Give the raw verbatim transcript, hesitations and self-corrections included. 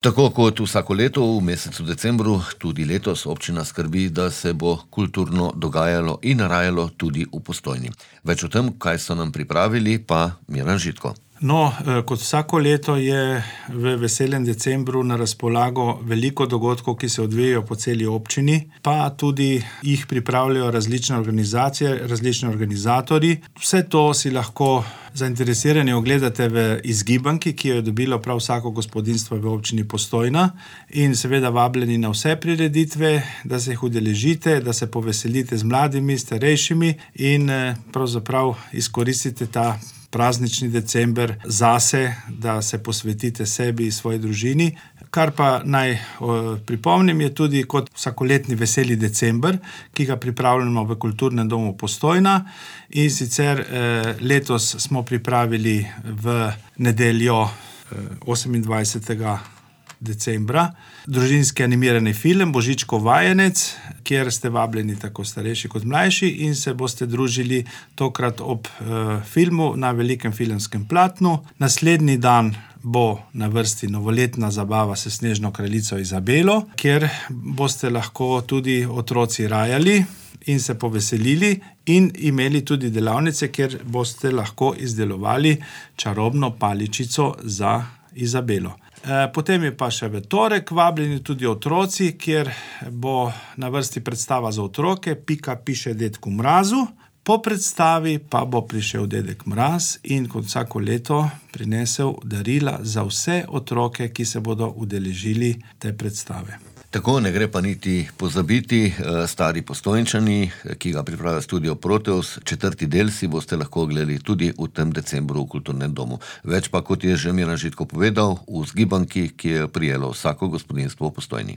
Tako kot vsako leto v mesecu decembru, tudi letos občina skrbi, da se bo kulturno dogajalo in rajalo tudi v Postojni. Več o tem, kaj so nam pripravili, pa Miran Žitko. No, kot vsako leto je v veselem decembru na razpolago veliko dogodkov, ki se odvijajo po celi občini, pa tudi jih pripravljajo različne organizacije, različni organizatorji. Vse to si lahko zainteresirani ogledate v izgibanki, ki jo je dobilo prav vsako gospodinjstvo v občini Postojna, in seveda vabljeni na vse prireditve, da se jih udeležite, da se poveselite z mladimi, starejšimi in pravzaprav izkoristite ta praznični december zase, da se posvetite sebi in svoji družini. Kar pa naj o, pripomnim je tudi kot vsakoletni veseli december, ki ga pripravljamo v Kulturnem domu Postojna, in sicer eh, letos smo pripravili v nedeljo eh, osemindvajsetega decembra družinski animirani film Božičkov vajenec, kjer ste vabljeni tako starejši kot mlajši in se boste družili tokrat ob eh, filmu na velikem filmskem platnu. Naslednji dan bo na vrsti novoletna zabava s Snežno kraljico Izabelo, kjer boste lahko tudi otroci rajali in se poveselili in imeli tudi delavnice, kjer boste lahko izdelovali čarobno paličico za Izabelo. Potem je pa še v torek vabljeni tudi otroci, kjer bo na vrsti predstava za otroke Pika piše dedku Mrazu. Po predstavi pa bo prišel dedek Mraz in kot vsako leto prinesel darila za vse otroke, ki se bodo udeležili te predstave. Tako ne gre pa niti pozabiti, stari Postojnčani, ki ga pripravlja Studio Proteus, četrti del si boste lahko gledali tudi v tem decembru v Kulturnem domu. Več pa, kot je že Miran Žitko povedal, v zgibanki, ki je prijelo vsako gospodinjstvo v Postojni.